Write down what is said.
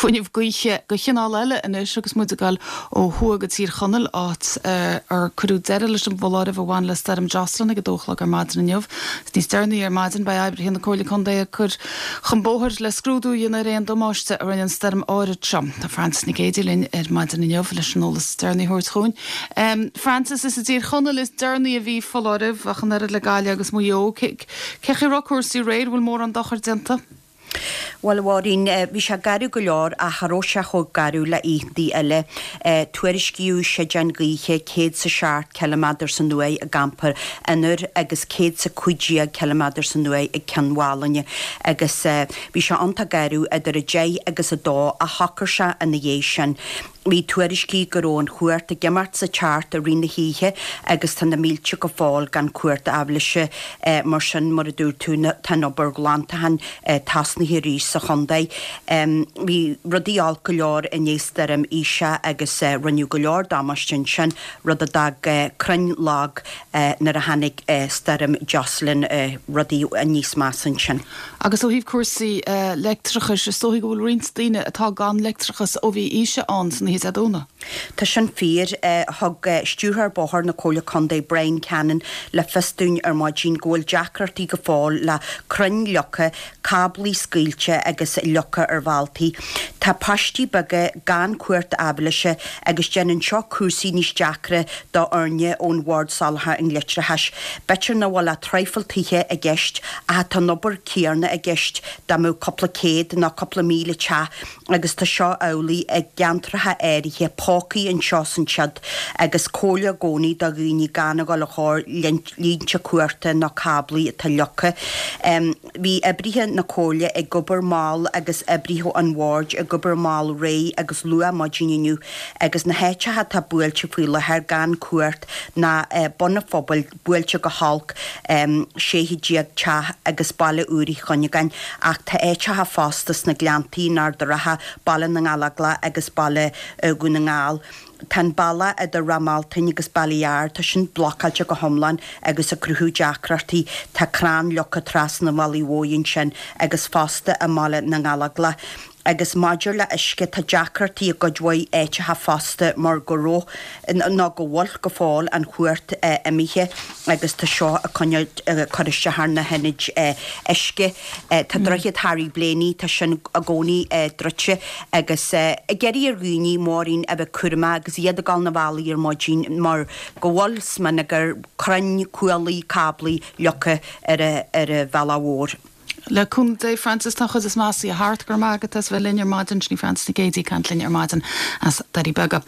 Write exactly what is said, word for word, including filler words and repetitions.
fuinneamh gaoithe de chineál eile anois agus muid ag dul ó thuaidh go Tír Chonaill áit ar cuireadh deireadh leis an bhfoláireamh a bhain le Stoirm Jocelyn ag a dó a chlog ar maidin inniu. Níos deireanaí ar maidin beidh oibrithe na Comhairle Contae ag cur chun bóthair le scrúdú a dhéanamh ar aon damáiste a rinne an stoirm áirid seo. Tá Frances Nic Géadaigh linn ar maidin inniu leis an eolas deireanaí a thabhairt chugainn. Um, Frances is i dTír Chonaill is deireanaí a bhí foláireamh ach an oiread le Gaillimh agus Maigh Eo. Cé chaoi raibh cúrsaí aréir bhfuil mórán dochar déanta? Well Mháirín bhí sé garbh go leor ach cha raibh sé chomh garbh le oícheanta eile. Tuairiscíodh séideán gaoithe céad sa seacht ciliméadar san uair i gCampa an Iúir agus céad sa cúig déag ciliméadar san uair ag Ceann Mhálanna agus bhí sé iontach garbh idir a deich agus a dó ach shocair sé ina dhiaidh sin. Bhí tuairiscí go raibh an chumhacht ag imeacht sa teacht i rith na hoíche agus tá na mílte go fóill gan cumhacht aibhléise mar sin mar a dúirt tú tá an obair ghlantacháin tosnaithe arís sa chontae. Bhí rudaí olc go leor i ndiaidh stoirm Isha agus rinneadh go leor damáiste ansin rud a d'fhág crainn lag nuair a tháinig stoirm Jocelyn rudaí níos measa ansin. Agus ó thaobh cúrsaí leictreachais is dóigh go bhfuil roinnt daoine atá gan leictreachas ó bhí Isha ann san oíche Dé Domhnaigh. Tá sin fíor thug stiúrthóir bóthair na Comhairle Contae Brian Cannon le fios dúinn ar maidin go bhfuil deacrachtaí go fóill le crainn leagtha, cáblaí scaoilte agus leagtha ar bhealtaí. Tá paistí beaga gan cumhacht aibhléise agus déanann seo cúrsaí níos deacra do fhoirne ón Bhord Soláthair an Leictreachais. B'fhéidir nach bhfuil traidhfil tithe i gceist ach tá an obair céanna i gceist dá mbeadh cúpla céad nó cúpla míle teach agus tá seo amhlaidh i gceantracha áirithe pócaí anseo san siad agus comhairle i gcónaí do dhaoine gan a dhul a chóir línte cumhachta nó cáblaí atá leagtha. Um, bhí oibrithe na Comhairle ag obair mall agus oibrithe an bhoird ag obair mall réidh agus luath maidin inniu agus na háiteacha atá buailte faoi láthair gan cumhacht ná uh, Bun an Phobail buailte go holc um, sé déag teach agus Baile Úr Uí Chuinneagáin ach tá áiteacha fosta sna Gleanntaí in Ard an Rátha Baile na nGallóglach agus Baile uh, Dhún na nGall. Tá an bealach idir Ráth Mealtain agus Baile Ard tá sin blocáilte go hiomlán agus ag cruthú deacrachtaí tá crann leagtha trasna an bhealaigh mhóir ansin agus fosta i mBaile na nGallóglach. agus maidir le uisce tá deacrachtaí i gcuid mhaith áiteacha fosta mar go raibh nó go bhfuil go fóill an chumhacht imithe agus tá seo a chur isteach ar na hionaid uisce. Tá droichead Harry Blaney tá sin i gcónaí druidte agus ag iarraidh ar dhaoine Máirín a bheith cúramach agus iad ag dul na bhealaí ar maidin mar go bhfuil smionagar crainn cuaillí cáblaí leagtha ar ar an bhealach mhór. Le cúnamh Dé Frances tá chuid is measa thart go maith agus bheith linn ar maidin sin Frances Nic Géadaigh ag caint linn ar maidin as Doirí Beaga.